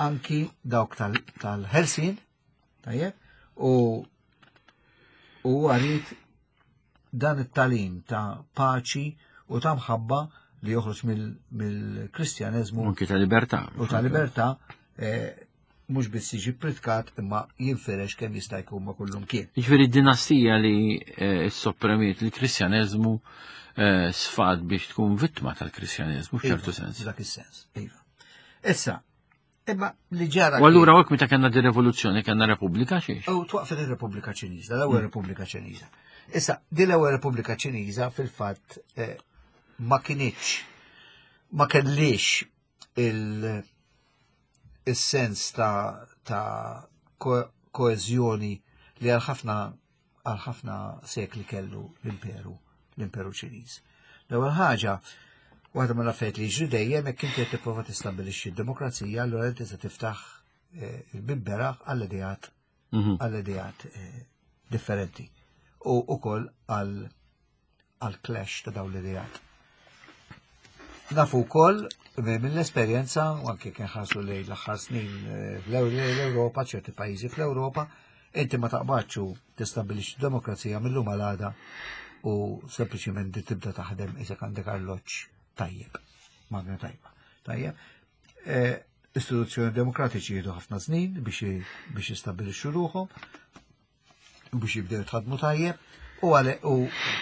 anki dawk tal-ħelsin, tajjeb, u u għarit dan it-talim ta' paċi u ta' mħabba li joħroġ mill-Kristjaneżmu. Anki ta' libertà. U ta' libertà eh, mhux biss jiġi pritkat imma jinfirex kemm jista' jkun ma' kullum kien. Jiġifieri dinastija li eh, soppremiet il-Kristjaneżmu eh, sfad biex tkun vittma tal-Kristjaneżmu f'ċertu iva, sens. Dak is-sens, iva. Issa, imma li ġara. U allura hekk meta kellna di rivoluzzjoni kellna Repubblika xiex? U twaqfet ir-Repubblika Ċiniża, l-ewwel mm. Repubblika Ċiniża. Issa, di l-ewwel Repubblika Ċiniża fil-fatt eh, ma kinitx ma kellix il- is-sens ta', ta koeżjoni li għal ħafna għal ħafna sekli kellu l-imperu. l-Imperu Ċiniż. L-ewwel ħaġa, waħda mill-affarijiet li jiġri dejjem jekk inti qed tipprova tistabbilixxi d-demokrazija, allura inti se tiftaħ eh, il-bib beraħ għall-ideat mhm. għall-ideat eh, differenti u ukoll għal għal clash ta' dawn l-ideat. Nafu wkoll mill-esperjenza u anke kien ħarsu lejn l-aħħar snin eh, fl-Ewropa, ċerti pajjiżi fl-Ewropa, inti ma taqbadx u tistabbilixxi demokrazija mill-lum għal għada u sempliċiment tibda taħdem isek għandek arloġġ tajjeb, magna tajba. Tajjeb. Eh, istituzzjoni demokratiċi jieħdu ħafna snin biex biex jistabbilixxu ruħhom, biex jibdew jitħadmu tajjeb, u għale u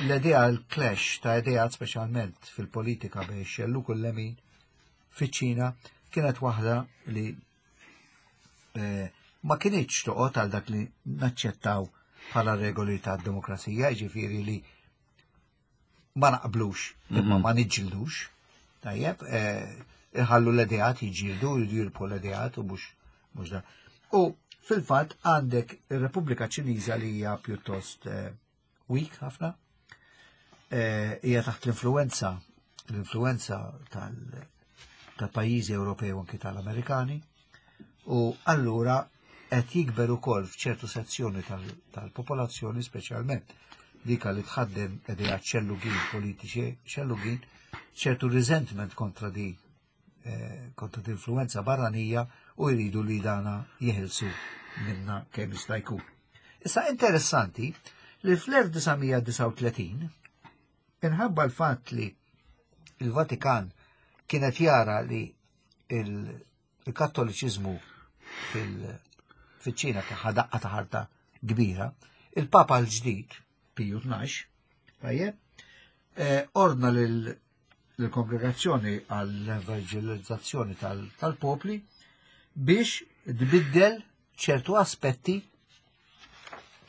l-idea l-clash ta' idea speċjalment fil-politika bejn xelluk u l-lemin fiċ-Ċina kienet waħda li eh, ma kinitx toqgħod għal dak li naċċettaw bħala regoli ta' demokrazija, ġifieri li ma naqblux, imma mhm. ma niġġildux, tajjeb, eh, iħallu l-ideat jiġġieldu, jirbħu l-ideat u mhux mhux da. U fil-fatt għandek ir-Repubblika Ċiniża li hija pjuttost eh, weak ħafna, eh, hija taħt l-influenza l-influenza tal-pajjiżi Ewropej u anki tal-Amerikani u allura qed jikber ukoll f'ċertu sezzjoni tal-popolazzjoni speċjalment dika li tħaddem idea ċellugin politiċi ċellugin ċertu resentment kontra di eh, kontra di influenza barranija u jridu li dana jeħilsu minna kemm jista' jkun. Issa interessanti li fl-1939 inħabba l-fatt li il-Vatikan kienet jara li il-Kattoliċiżmu fil-ċina kien daqqa ta' ħarta kbira, il-Papa l-ġdid, Piju 12, tajjeb, eh, ordna lill-kongregazzjoni għall-evangelizzazzjoni tal-popli biex tbiddel ċertu aspetti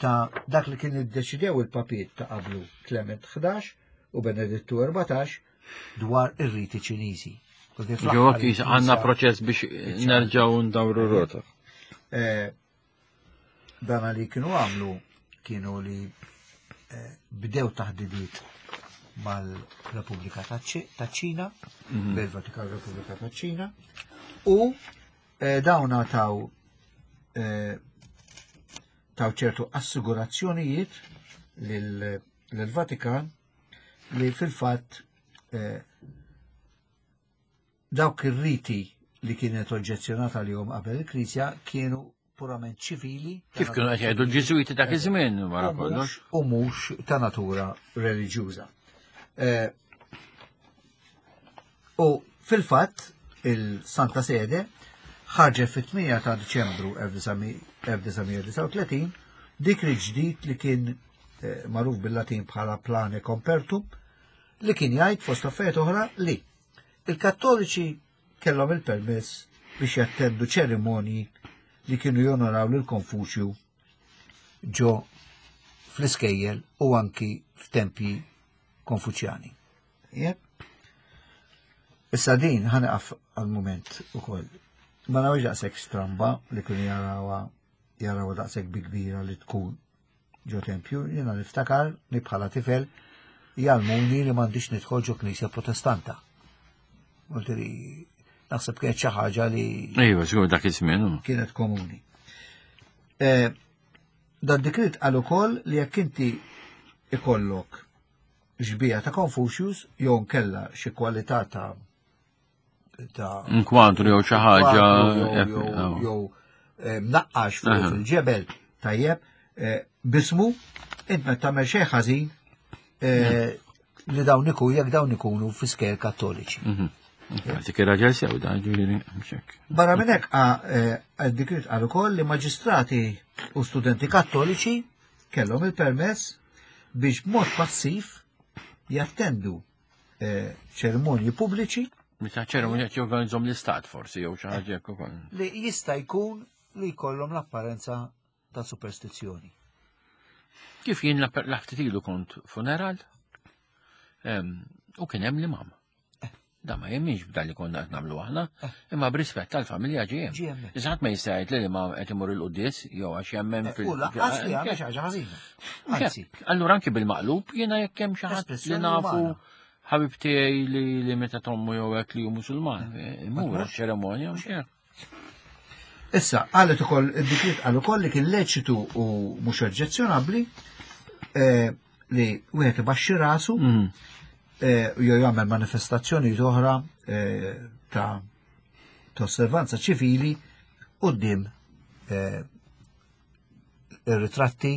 ta' dak li kien iddeċidew il-papiet ta' qablu Clement 11 u Benedittu 14 dwar ir-riti Ċiniżi. Ġewwa għandna proċess biex nerġgħu ndawru rota. Eh, dana li kienu għamlu kienu li eh, bdew taħdidiet mal-Repubblika ta' Ċina, mhm. bil-Vatikan Repubblika ta' Ċina, u eh, dawn taw eh, taw ċertu assigurazzjonijiet lill-Vatikan li fil-fatt eh, dawk ir-riti li kienet oġġezzjonata li jom qabel il-Knisja kienu purament ċivili. Kif kienu qed jgħidu l-Ġiżwiti dak iż-żmien wara kollox. U mhux ta' natura reliġjuża. Eh, u fil-fatt il-Santa Sede ħarġet fit-8 ta' Diċembru 1939 dik li ġdid li kien eh, magħruf bil-Latin bħala Plane Compertum li kien jgħid fost affarijiet oħra li il-Kattoliċi kellhom il-permess biex jattendu ċerimonji li kienu jonoraw lil Konfuċju ġo fl-iskejjel u anki f'tempji konfuċjani. Jep. Issa din ħanqaf għal-moment ukoll. Ma nafx daqshekk stramba li kienu jarawha jarawha daqshekk bi kbira li tkun ġo tempju, jiena niftakar li bħala tifel jgħallmuni li m'għandix nidħol ġo knisja protestanta. Li naħseb kienet xi ħaġa li. Ejwa, żgur dak iż-żmien. Kienet komuni. Eh, dan dikrit qal ukoll li jekk inti ikollok xbija ta' Confucius jew nkella xi kwalità ta' ta' Nkwadru jew xi ħaġa jew eh, mnaqqax fuq fil-ġebel tajjeb eh, bismu int ma tagħmel xejn ħażin eh, li dawn ikun jekk dawn ikunu fi skejjel kattoliċi. Mhm. Dik ir-raġel sew da ġifieri Barra minn hekk dik qal ukoll li maġistrati u studenti kattoliċi kellhom il-permess biex b'mod passiv jattendu eh, ċerimonji pubbliċi. Meta ċerimonji qed jorganizzhom l-istat forsi jew xi ħaġa hekk ukoll. Li jista' jkun li jkollhom l-apparenza ta' superstizzjoni. Kif jien l-ftit ilu kont funeral u kien hemm l-imam. Da ma jemminx b'dan li konna qed nagħmlu aħna, eh. imma b'rispett tal-familja ġie hemm. Iżda ħadd ma jista' jgħid li ma qed imur il-quddies jew għax jemmen eh, fil. U lanqas li għamel xi ħaġa ħażina. Anzi. Allura anki bil-maqlub jiena jekk hemm xi ħadd li nafu ħabib tiegħi li li meta tommu jew hekk li hu Musulman, eh, imur għax-ċeremonja u xejn. Issa, qalet ukoll id-dikriet qal ukoll li kien leċitu u mhux oġġezzjonabbli li wieħed ibaxxi rasu mm. eh, jew jagħmel manifestazzjoni oħra eh, ta' osservanza ċivili quddiem eh, ir-ritratti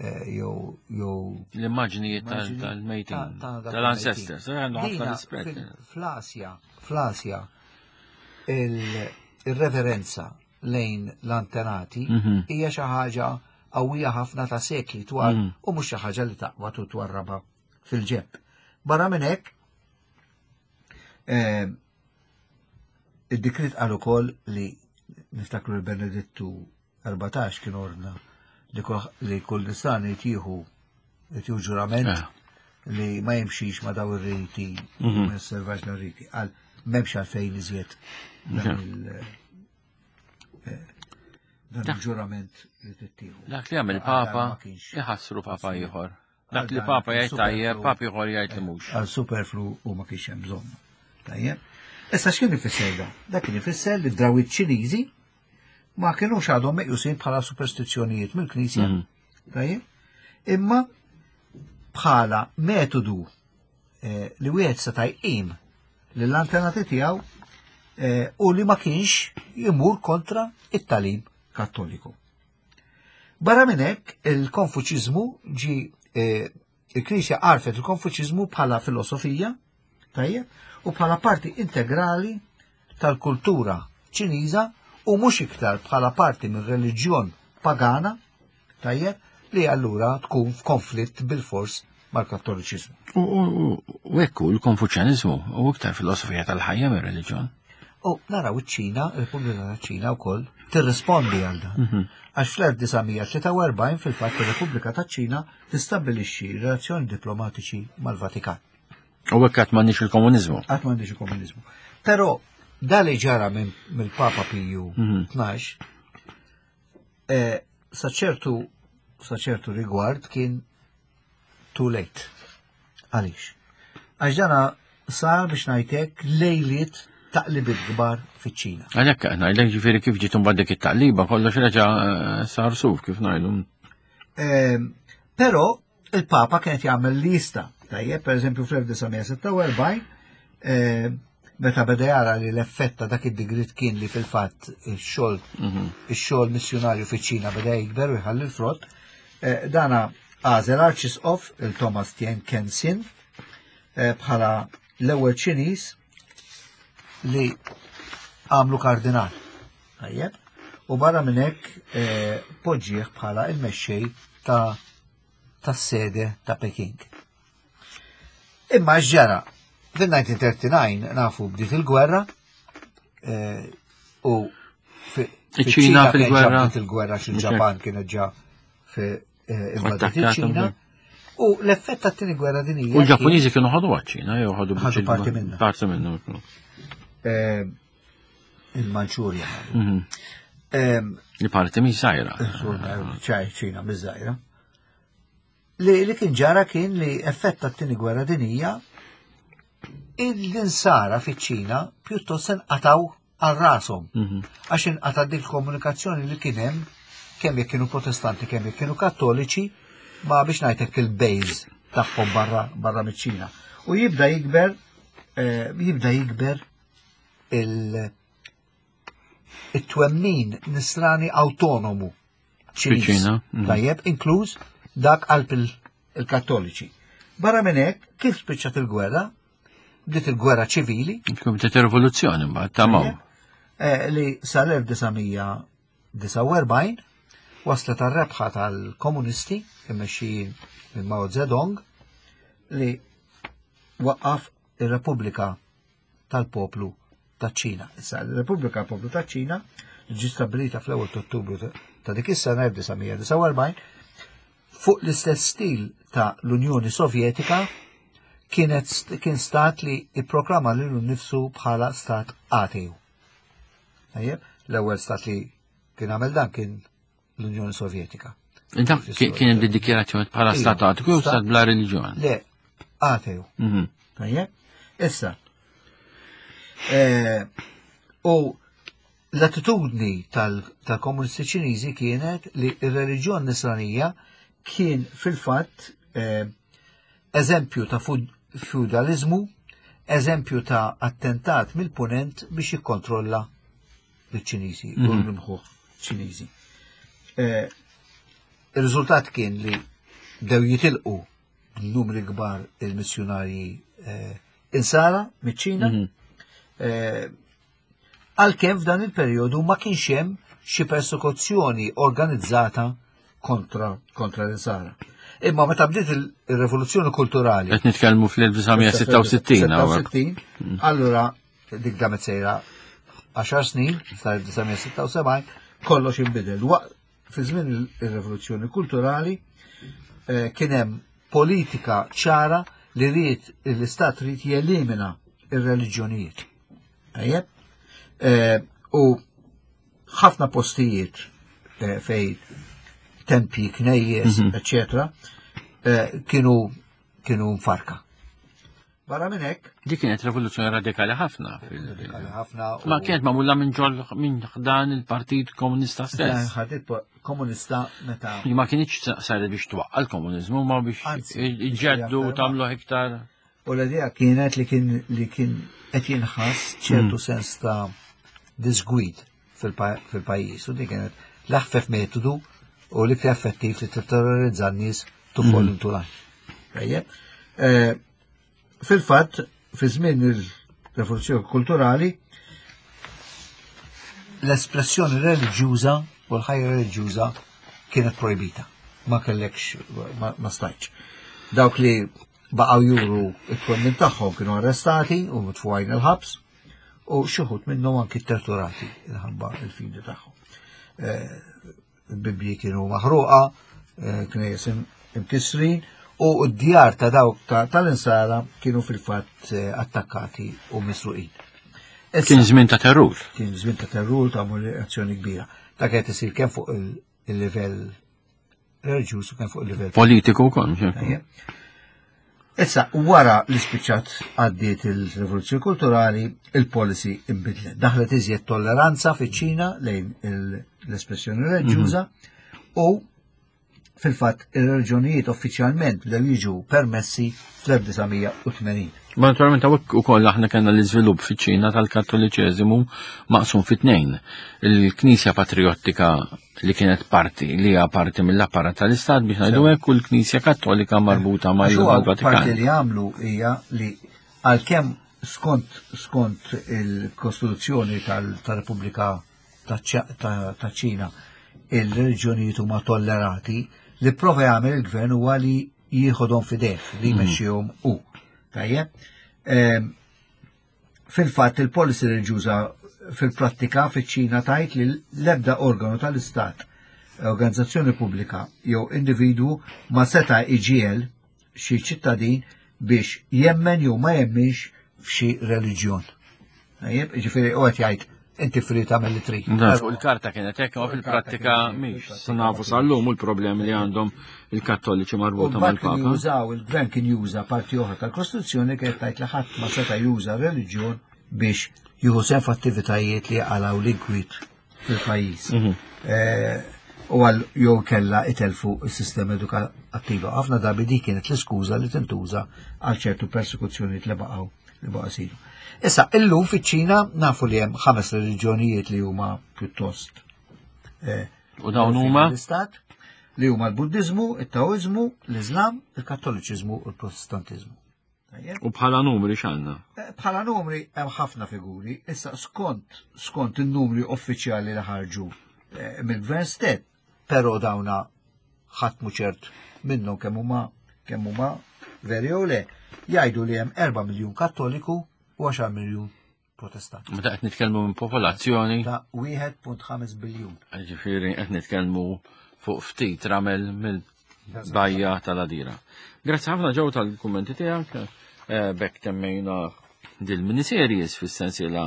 jew jew l-immaġnijiet tal-mejtin tal-ancestors, għandu ħafna rispett. Fl-Asja, fl-Asja il-reverenza lejn l-antenati mhm. hija xi ħaġa qawwija ħafna ta' sekli twal mhm. u mhux xi ħaġa li taqbad u twarrabha fil-ġeb. Barra minn hekk, eh, id-dikrit qal ukoll li niftakru l-Benedittu 14 kien ordna li kull nisan jtieħu jtieħu ġurament eh. li ma jimxix ma daw ir-riti, mhm. ma josservax daw ir-riti. Għal m'hemmx għalfejn iżjed dan eh, dan il-ġurament li tittieħu. Dak li għamil papa iħassru papa ieħor. Dak li papa jgħid tajjeb, papa ieħor jgħid li mhux. Għal superflu u ma kienx hemm bżonn. Tajjeb. Issa x'kien ifisser da? Dak kien ifisser li drawit Ċiniżi ma kienux għadhom meqjusin bħala superstizzjonijiet mill-Knisja. Mhm. Tajjeb. Imma bħala metodu eh, li wieħed seta' jqim lill-antenati tiegħu eh, u li ma kienx jimur kontra it-talim kattoliku. Barra minn hekk, il-Konfuċiżmu ġi eh, il-Knisja għarfet il-Konfuċiżmu bħala filosofija, tajjeb, u bħala parti integrali tal-kultura Ċiniża u mhux iktar bħala parti minn reliġjon pagana, tajjeb, li allura tkun f'konflitt bil-fors mal-Kattoliċiżmu. U hekk hu l-Konfuċjaniżmu u iktar filosofija tal-ħajja mir-reliġjon. U naraw iċ-Ċina, il-Repubblika taċ-Ċina wkoll tirrispondi għal dan. Mhm. Għax fl-1943 fil-fatt ir-Repubblika taċ-Ċina tistabbilixxi relazzjoni diplomatiċi mal-Vatikan. U hekk qatt m'għandniex il-komuniżmu. Qatt m'għandniex il-komuniżmu. Però da li ġara mill-Papa Piju 12 mhm. eh, sa ċertu sa ċertu rigward kien too late. Għaliex? Għax dana sar biex ngħidlek lejliet taqlibiet kbar fiċ-Ċina. Għalhekk qed ngħidlek ġifieri kif ġiet imbagħad dik it-taqliba kollox reġa' eh, sar suf kif ngħidu. Ehm, però il-Papa kienet jagħmel lista. Tajjeb, pereżempju fl-1946 ehm, meta beda jara li l-effett ta' dak id-digrit kien li fil-fatt ix-xogħol mhm. ix-xogħol missjunarju fiċ-Ċina beda jikber u jħalli l-frott, eh, dana għażel arċisqof il-Thomas Tien Kensin eh, bħala l-ewwel Ċiniż li għamlu kardinal. Tajjeb. U barra minn hekk eh, poġġieħ bħala il-mexxej ta' tas-sede ta' Peking. Imma x'ġara? Fil-1939 nafu bdiet il-gwerra eh, u Iċ-Ċina fil-gwerra. Bdiet il-gwerra xil-Ġapan kienet ġa eh, invadiet iċ-Ċina. U l-effett tat-tieni gwerra dinjija. U l-Ġappuniżi kienu ħadu għaċ-Ċina, jew ħadu ħadu parti minna. Parti minna. Eh, Il-Manċurja. Mhm. Li parti minn żgħira. ċina minn żgħira. Li, li kien ġara kien li effett tat-tieni gwerra dinija il-insara fiċ-Ċina pjuttost inqataw għal rashom. Mhm. Għax inqata' dik komunikazzjoni li kien hemm kemm jekk kienu protestanti kemm jekk kienu kattoliċi ma biex ngħidlek il-bejż tagħhom barra barra miċ-Ċina. U jibda jikber eh, jibda jikber il it-twemmin nisrani autonomu Ċiniż. Mm. Tajjeb, inkluż dak qalb il-Kattoliċi. Barra minn hekk, kif spiċċat il-gwerra, bdiet il-gwerra ċivili. Kif bdiet ir-rivoluzzjoni mbagħad ta' Mao. Eh, li sal-1949 waslet għar-rebħa tal-komunisti immexxijin minn Mao Zedong li waqqaf ir-Repubblika tal-Poplu taċ-Ċina. Issa, l-Repubblika tal-Poplu taċ-Ċina li ġiet stabbilita fl-ewwel ta' Ottubru ta' dik is-sena 1949 fuq l-istess stil ta' l-Unjoni Sovjetika kienet kien stat li ipproklama lilu nnifsu bħala stat ateju. Tajjeb, l-ewwel stat li kien għamel dan kien l-Unjoni Sovjetika. Dak kien hemm dikjarazzjoni bħala stat ateju jew stat bla reliġjon? Le, ateju. Mhm. Tajjeb, issa. Eh, u l-attitudni tal-komunisti ċiniżi kienet li r-reliġjon nisranija kien fil-fatt eh, eżempju ta' feudalizmu, eżempju ta' attentat mill-punent biex jikkontrolla l-Ċiniżi u mhm. l-imħuħ Ċiniżi. Eh, il-riżultat kien li bdew jitilqu numri kbar il-missjunarji eh, insara miċ-Ċina. Mhm. Eh, għalkemm f'dan il-perjodu ma kienx hemm xi persekuzzjoni organizzata kontra kontra l-insara. Imma meta bdiet il-rivoluzzjoni kulturali. Qed nitkellmu fl-1966. Allura dik damet sejra 10 snin, sal-1976, kollox inbidel. Fi żmien ir-rivoluzzjoni kulturali eh, kien hemm politika ċara li ried l-istat ried jelimina ir-reliġjonijiet. Tajjeb? Eh, u ħafna postijiet eh, fej tempji, knejjes, eccetera, kienu kienu mfarka. Barra minn hekk. Dik kienet rivoluzzjoni radikali ħafna. Radikali ħafna. Ma kienet magħmula minn ġol minn ħdan il-Partit Komunista stess. Partit Komunista meta. Ma kienx saret biex twaqqa l-komuniżmu ma biex iġġeddu tagħmlu iktar. U l-idea kienet li kien li kien qed jinħass ċertu hmm. sens ta' disgwid fil-pajjiż u dik kienet l-aħfef metodu u l-iktar effettiv li titterrorizza n-nies to fall hmm. into line. Eh, fil-fatt, fi żmien il-rivoluzzjoni kulturali, l-espressjoni reliġjuża u l-ħajja reliġjuża kienet projbita. Ma kellekx, ma stajtx. Dawk li baqgħu juru it-twemmin tagħhom kienu arrestati u mitfugħin il-ħabs u xi wħud minnhom anki torturati minħabba il-fidi tagħhom. Eh, il-Bibbji kienu maħruqa, eh, knejjes imkissrin u d-djar ta' dawk tal-insara kienu fil-fatt eh, attakkati u misruqin. Kien żmien ta' terrur. Kien żmien ta' terrur ta' azzjoni kbira. Ta' kienet isir kemm fuq il-livell reliġjuż u kemm fuq il-livell politiku wkoll. Issa, wara li spiċċat għaddiet il-rivoluzzjoni kulturali, il-policy imbidlet. Daħlet iżjed tolleranza fiċ-Ċina lejn l-espressjoni reliġjuża mhm. u fil-fatt ir-reliġjonijiet uffiċjalment bdew jiġu permessi fl-1980. Ma naturalment hawnhekk ukoll aħna kellna l-iżvilupp fiċ-Ċina tal-Kattoliċeżimu maqsum fi tnejn. Il-Knisja Patriottika li kienet parti li hija parti mill-apparat tal-Istat biex ngħidu hekk u l-Knisja Kattolika marbuta mal-Vatikan. Parti li għamlu hija li għalkemm skont skont il-Kostituzzjoni tal-Repubblika ta' ċina il-reliġjonijiet huma tollerati, li prova jagħmel il-gvern huwa li jieħodhom fideh, li mhm. jmexxihom hu. Tajjeb? Ehm, Fil-fatt il-policy reliġjuża fil-prattika fiċ-Ċina tajt li l-ebda organu tal-Istat, organizzazzjoni pubblika jew individwu ma seta' iġiegħel xi ċittadin biex jemmen jew ma jemminx f'xi reliġjon. Tajjeb, ġifieri u qed jgħid inti free tagħmel li trid. Fuq il-karta kienet hekk, ma fil-prattika mhix. Sa nafu sal-lum u l-problemi li għandhom il-Kattoliċi marbuta mal-Papa. Jużaw il-gvern kien juża parti oħra tal-Kostituzzjoni kienet tgħid li ħadd ma seta' juża reliġjon biex jieħu sehem f'attivitajiet li jaqalgħu l-inkwiet fil-pajjiż. Mhm. Eh, u għal jew kella itelfu s-sistema edukattiva. Ħafna drabi dik kienet l-iskuża li tintuża għal ċertu persekuzzjonijiet li baqgħu li baqgħu isiru. Issa, illum fiċ-Ċina nafu li hemm ħames reliġjonijiet li huma pjuttost. Eh, u dawn huma? L-istat li huma l-Buddiżmu, it-Taoiżmu, l-Iżlam, il-Kattoliċiżmu u l-Protestantiżmu. U bħala numri x'għandna? Eh, bħala numri hemm ħafna figuri, issa skont skont in-numri uffiċjali li ħarġu eh, mill-gvern stess, però dawna ħadd mhu ċert minnhom kemm huma kemm huma veri jew le, jgħidu li hemm 4 miljun Kattoliku u 10 miljun Protestant. Meta qed nitkellmu minn popolazzjoni ta' 1.5 biljun. Ġifieri qed nitkellmu fuq ftit ramel mill-bajja tal-Adira. Grazzi ħafna ġew tal-kummenti tiegħek. Eh, bekk temmejna dil-miniseries fis-sensiela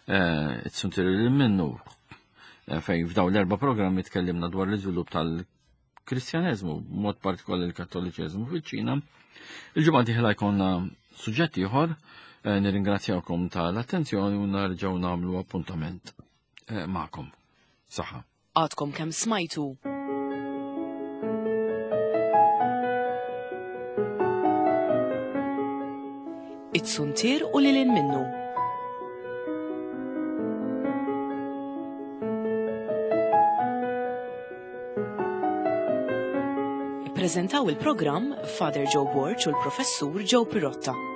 eh, it-suntir li minnu eh, fejn f'daw l-erba' programmi tkellimna dwar l-iżvilupp tal-Kristjaneżmu, mod partikolari l-Kattoliċeżmu fiċ-Ċina. Il-ġimgħa dieħla jkollna suġġett ieħor, nirringrazzjawkom tal-attenzjoni u narġgħu nagħmlu appuntament magħkom. Saħħa. Għadkom kemm smajtu It-suntier u lil minnu. Ippreżentaw il-programm Father Joe Borg u l-Professur Joe Pirotta.